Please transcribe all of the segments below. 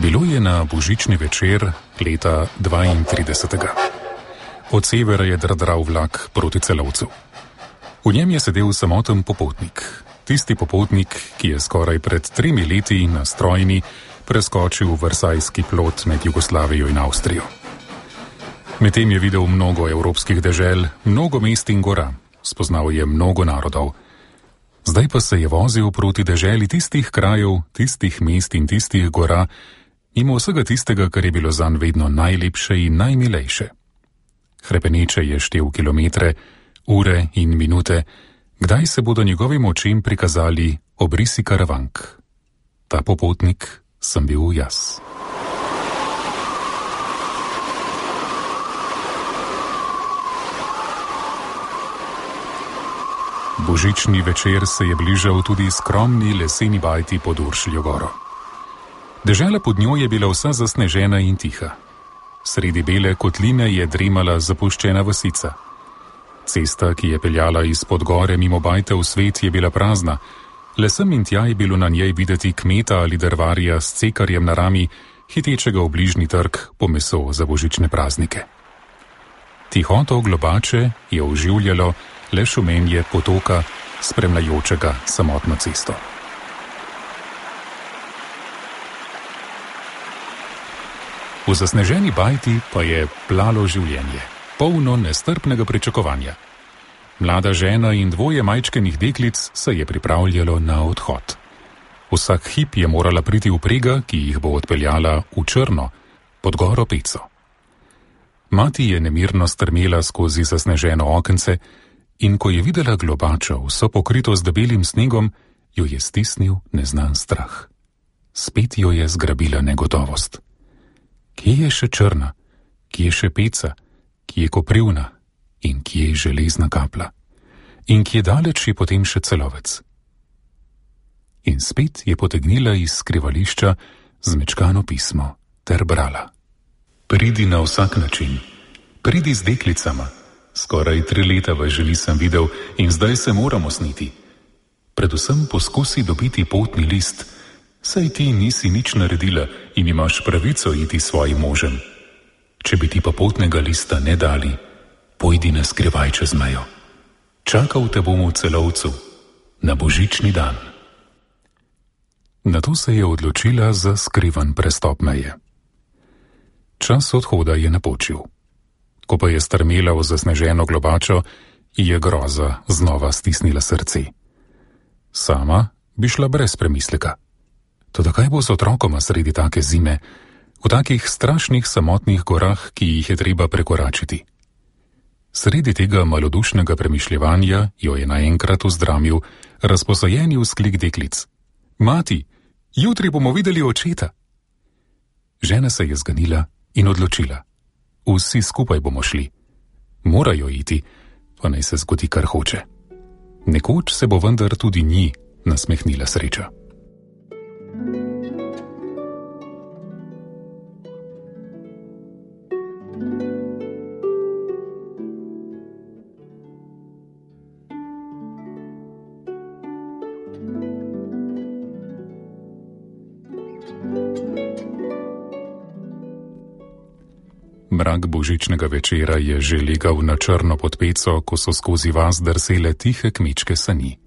Bilo je na božični večer leta 32. Od severa je drdral vlak proti Celovcu. V njem je sedel samoten popotnik. Tisti popotnik, ki je skoraj pred 3 leti na strojni preskočil Versajski plot med Jugoslavijo in Avstrijo. Medtem je videl mnogo evropskih dežel, mnogo mest in gora, spoznal je mnogo narodov. Zdaj pa se je vozil proti deželi tistih krajev, tistih mest in tistih gora, mimo vsega tistega, kar je bilo zanj vedno najlepše in najmilejše. Hrepeneče je štel kilometre, ure in minute, kdaj se bodo njegovim očem prikazali obrisi Karavank. Ta popotnik sem bil jaz. Božični večer se je bližal tudi skromni leseni bajti pod Uršljo goro. Dežela pod njo je bila vsa zasnežena in tiha. Sredi bele kotline je dremala zapuščena vasica. Cesta, ki je peljala izpod gore mimo bajte v svet, je bila prazna. Le sem in tja je bilo na njej videti kmeta ali drvarja s cekarjem na rami, hitečega v bližnji trg po meso za božične praznike. Tihoto globače je oživljalo le šumenje potoka, spremljajočega samotno cesto. V zasneženi bajti pa je plalo življenje, polno nestrpnega pričakovanja. Mlada žena in 2 majčkenih deklic se je pripravljalo na odhod. Vsak hip je morala priti vprega, ki jih bo odpeljala v Črno, pod goro Peco. Mati je nemirno strmela skozi zasneženo okence in ko je videla globačo, vso pokrito z debelim snegom, jo je stisnil neznan strah. Spet jo je zgrabila negotovost. Kje je še Črna, kje je še Peca, kje je Koprivna in kje je Železna Kapla in kje daleč je potem še Celovec. In spet je potegnila iz skrivališča zmečkano pismo ter brala. Pridi na vsak način, pridi z deklicama, skoraj 3 leta vas že nisem videl in zdaj se moramo sniti. Predvsem poskusi dobiti potni list, saj ti nisi nič naredila in imaš pravico iti svojim možem. Če bi ti pa potnega lista ne dali, pojdi na skrivaj čez mejo. Čakal te bom v Celovcu, na božični dan. Nato se je odločila za skrivan prestop meje. Čas odhoda je napočil. Ko pa je strmela v zasneženo globačo, je groza znova stisnila srce. Sama bi šla brez premisleka. Toda kaj bo z otrokoma sredi take zime, v takih strašnih samotnih gorah, ki jih je treba prekoračiti? Sredi tega malodušnega premišljevanja jo je naenkrat vzdramil razposajeni vzklik deklic. Mati, jutri bomo videli očeta. Žena se je zganila in odločila. Vsi skupaj bomo šli. Morajo iti, pa naj se zgodi, kar hoče. Nekoč se bo vendar tudi njih nasmehnila sreča. Mrak božičnega večera je že legal na črno pod Peco, ko so skozi vas drsele tihe kmečke sani.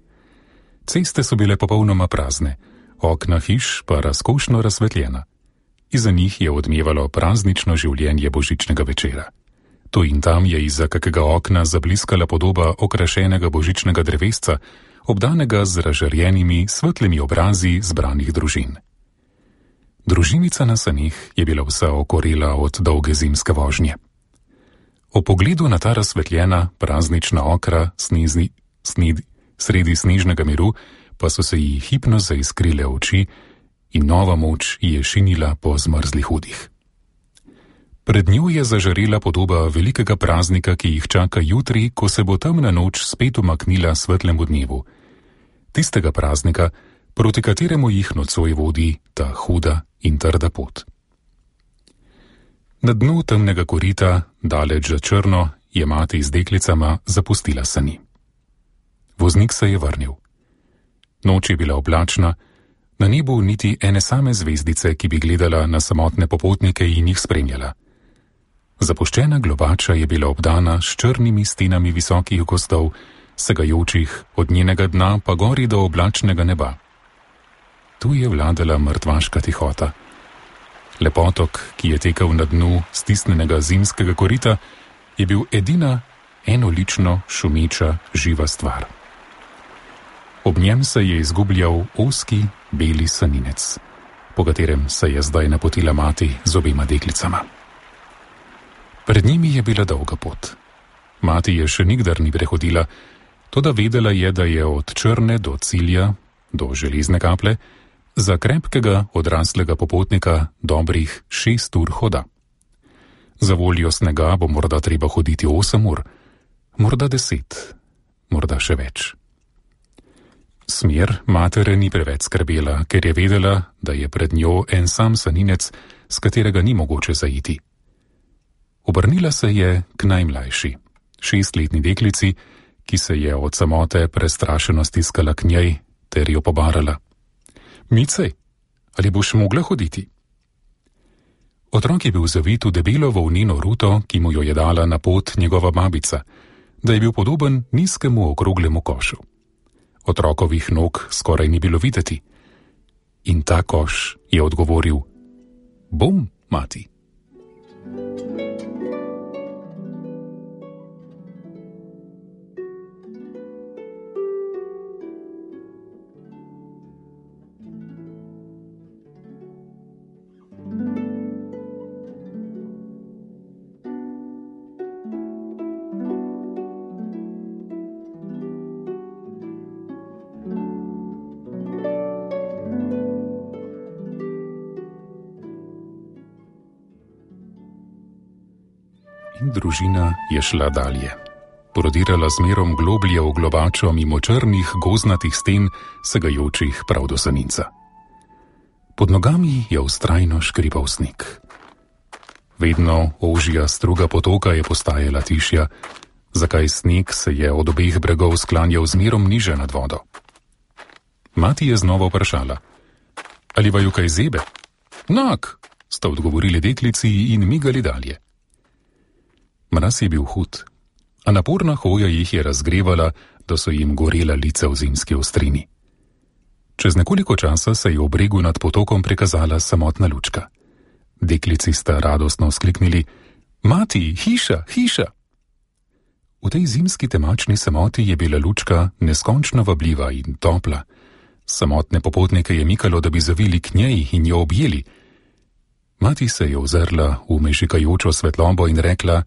Ceste so bile popolnoma prazne, okna hiš pa razkošno razsvetljena. Iza njih je odmevalo praznično življenje božičnega večera. Tu in tam je izza kakega okna zabliskala podoba okrašenega božičnega drevesca, obdanega z razžarjenimi svetlimi obrazi zbranih družin. Družinica na sanih je bila vsa okorela od dolge zimske vožnje. O pogledu na ta razsvetljena, praznična okra sredi snežnega miru pa so se ji hipno zaiskrile oči in nova moč je šinila po zmrzlih udih. Pred njo je zažarela podoba velikega praznika, ki jih čaka jutri, ko se bo temna noč spet umaknila svetlemu dnevu. Tistega praznika, proti kateremu jih nocoj vodi ta huda in trda pot. Na dnu temnega korita, daleč za Črno, je mati z deklicama zapustila sani. Voznik se je vrnil. Noč je bila oblačna, Na nebu niti ene same zvezdice, ki bi gledala na samotne popotnike in jih spremljala. Zapuščena globača je bila obdana s črnimi stenami visokih gozdov, segajočih od njenega dna pa gori do oblačnega neba. Tu je vladala mrtvaška tihota. Lepotok, ki je tekel na dnu stisnenega zimskega korita, je bil edina enolično šumeča živa stvar. Ob njem se je izgubljal ozki beli saninec, po katerem se je zdaj napotila mati z obema deklicama. Pred njimi je bila dolga pot. Mati je še nikdar ni prehodila, toda vedela je, da je od Črne do cilja, do Železne kaple, za krepkega odraslega popotnika dobrih 6 ur hoda. Za voljo snega bo morda treba hoditi 8 ur, morda 10, morda še več. Smer matere ni preveč skrbela, ker je vedela, da je pred njo en sam saninec, s katerega ni mogoče zaiti. Obrnila se je k najmlajši, 6-letni deklici, ki se je od samote prestrašeno stiskala k njej ter jo pobarala. Micej, ali boš mogla hoditi? Otrok je bil zavit v debelo volneno ruto, ki mu jo je dala na pot njegova babica, da je bil podoben nizkemu okroglemu košu. Otrokovih nog skoraj ni bilo videti. In ta koš je odgovoril: Bom, mati. In družina je šla dalje. Prodirala zmerom globlje v globačo mimo črnih gozdnatih sten, segajočih prav do saninca. Pod nogami je vztrajno škripal sneg. Vedno ožja struga potoka je postajala tišja, zakaj sneg se je od obeh bregov sklanjal zmerom niže nad vodo. Mati je znova vprašala: Ali vaju kaj zebe? Nak, sta odgovorili deklici in migali dalje. Mraz je bil hud, a naporna hoja jih je razgrevala, da so jim gorela lica v zimski ostrini. Čez nekoliko časa se je v bregu nad potokom prikazala samotna lučka. Deklici sta radostno vzkliknili: Mati, hiša, hiša! V tej zimski temačni samoti je bila lučka neskončno vabljiva in topla. Samotne popotnike je mikalo, da bi zavili k njej in jo objeli. Mati se je ozrla v mežikajočo svetlobo in rekla: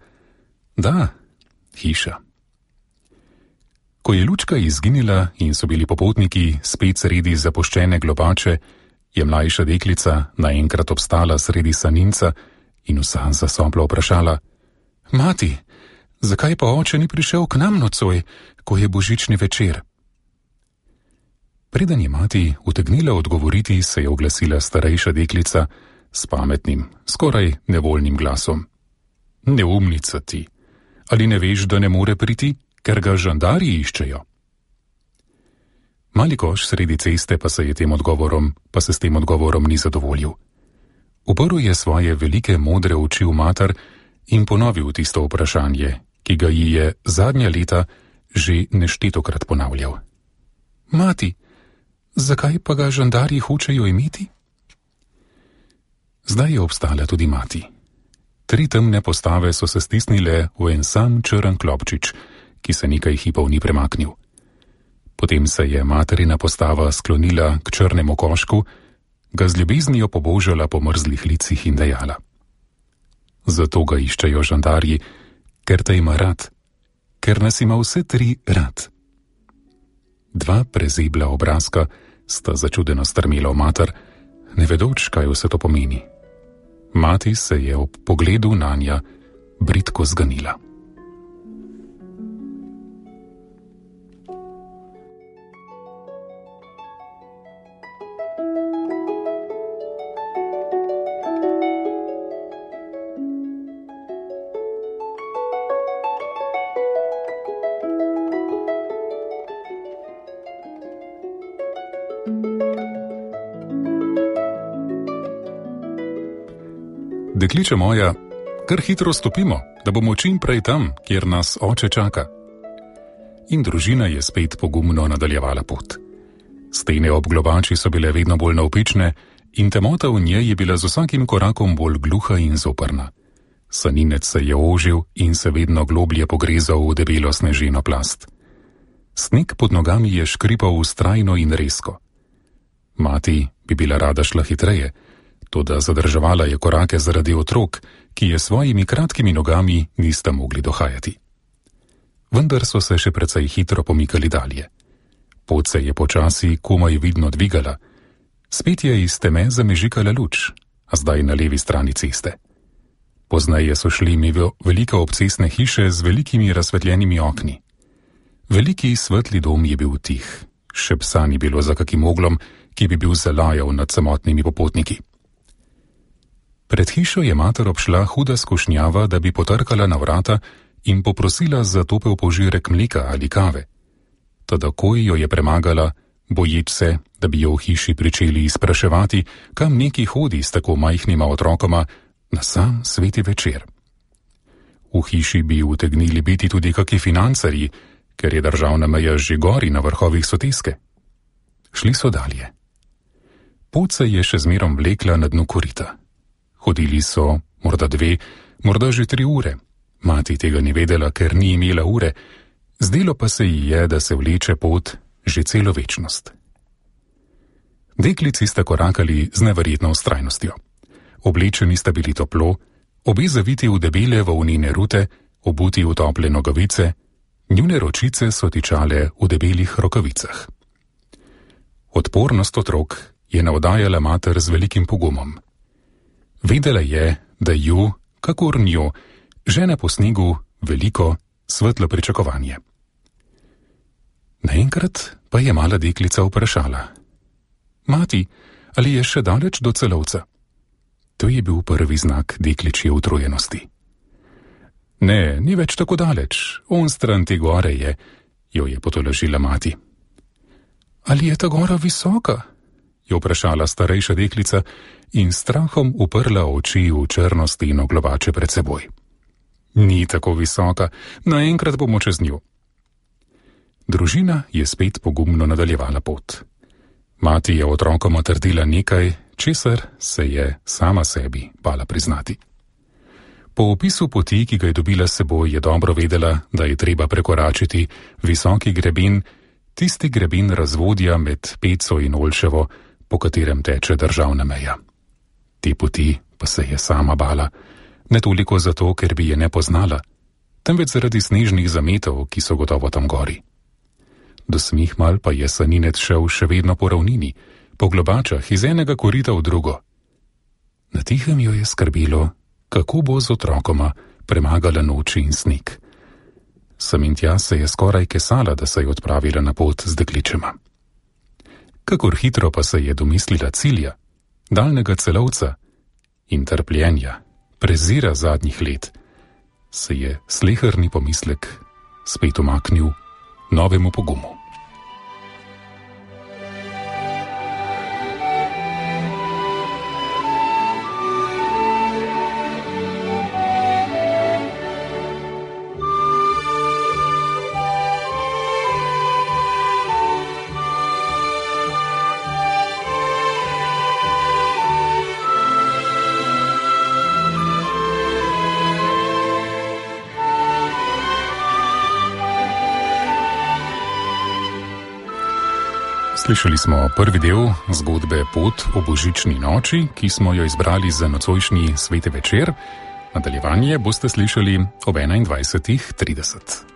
Da, hiša. Ko je lučka izginila in so bili popotniki spet sredi zapuščene globače, je mlajša deklica naenkrat obstala sredi saninca in vsa zasoplo vprašala: Mati, zakaj pa oče ni prišel k nam nocoj, ko je božični večer? Preden je mati utegnila odgovoriti, se je oglasila starejša deklica s pametnim, skoraj nevoljnim glasom: Neumnica ti! Ali ne veš, da ne more priti, ker ga žandarji iščejo? Mali koš sredi ceste pa se s tem odgovorom ni zadovoljil. Uprl je svoje velike modre oči v mater in ponovil tisto vprašanje, ki ga ji je zadnja leta že neštetokrat ponavljal. Mati, zakaj pa ga žandarji hočejo imeti? Zdaj je obstala tudi mati. 3 temne postave so se stisnile v en sam črn klobčič, ki se nekaj hipov ni premaknil. Potem se je materina postava sklonila k črnemu košku, ga z ljubeznijo pobožala po mrzlih licih in dejala: Zato ga iščejo žandarji, ker te ima rad, ker nas ima vse 3 rad. 2 prezebla obrazka sta začudeno strmela v mater, ne vedoč, kaj vse to pomeni. Mati se je ob pogledu nanja bridko zganila. Dekliče moja, kar hitro stopimo, da bomo čim prej tam, kjer nas oče čaka. In družina je spet pogumno nadaljevala pot. Stene ob globači so bile vedno bolj navpične in temota v njej je bila z vsakim korakom bolj gluha in zoprna. Saninec se je ožil in se vedno globlje pogrezal v debelo sneženo plast. Sneg pod nogami je škripal vztrajno in rezko. Mati bi bila rada šla hitreje, toda zadrževala je korake zaradi otrok, ki je svojimi kratkimi nogami nista mogli dohajati. Vendar so se še precej hitro pomikali dalje. Pot se je počasi komaj vidno dvigala. Spet je iz teme zamežikala luč, a zdaj na levi strani ceste. Pozneje so šli mimo velike obcestne hiše z velikimi razsvetljenimi okni. Veliki svetli dom je bil tih, še psa ni bilo za kakim oglom, ki bi bil zalajal nad samotnimi popotniki. Pred hišo je mater obšla huda skušnjava, da bi potrkala na vrata in poprosila za topel požirek mleka ali kave. Toda takoj jo je premagala, boječ se, da bi jo v hiši pričeli izpraševati, kam neki hodi s tako majhnima otrokoma na sam sveti večer. V hiši bi utegnili biti tudi kaki financarji, ker je državna meja že gori na vrhovih soteske. Šli so dalje. Pot se je še zmerom vlekla na dnu korita. Hodili so morda 2, morda že 3 ure. Mati tega ni vedela, ker ni imela ure, zdelo pa se ji je, da se vleče pot že celo večnost. Deklici sta korakali z neverjetno vztrajnostjo. Oblečeni sta bili toplo, obe zaviti v debele volnene rute, obuti v tople nogavice, njune ročice so tičale v debelih rokavicah. Odpornost otrok je navdajala mater z velikim pogumom. Vedela je, da ju, kakor njo, žene po snegu veliko, svetlo pričakovanje. Naenkrat pa je mala deklica vprašala: Mati, ali je še daleč do Celovca? To je bil prvi znak dekličje utrujenosti. Ne, ni več tako daleč, onstran te gore je, jo je potolažila mati. Ali je ta gora visoka? Je vprašala starejša deklica in strahom uprla oči v črno steno globače pred seboj. Ni tako visoka, naenkrat bomo čez njo. Družina je spet pogumno nadaljevala pot. Mati je otrokoma trdila nekaj, česar se je sama sebi bala priznati. Po opisu poti, ki ga je dobila s seboj, je dobro vedela, da je treba prekoračiti visoki greben, tisti greben razvodja med Peco in Olševo, po katerem teče državna meja. Te poti pa se je sama bala, ne toliko zato, ker bi je ne poznala, temveč zaradi snežnih zametov, ki so gotovo tam gori. Do Smihmal pa je Saninec šel še vedno po ravnini, po globačah iz enega korita v drugo. Na tihem jo je skrbelo, kako bo z otrokoma premagala noči in sneg. Sem in tja se je skoraj kesala, da se je odpravila na pot z dekličema. Kakor hitro pa se je domislila cilja, daljnega Celovca in trpljenja, prezira zadnjih let, se je sleherni pomislek spet umaknil novemu pogumu. Slišali smo prvi del zgodbe Pot o božični noči, ki smo jo izbrali za nocojšnji sveti večer. Nadaljevanje boste slišali ob 21:30.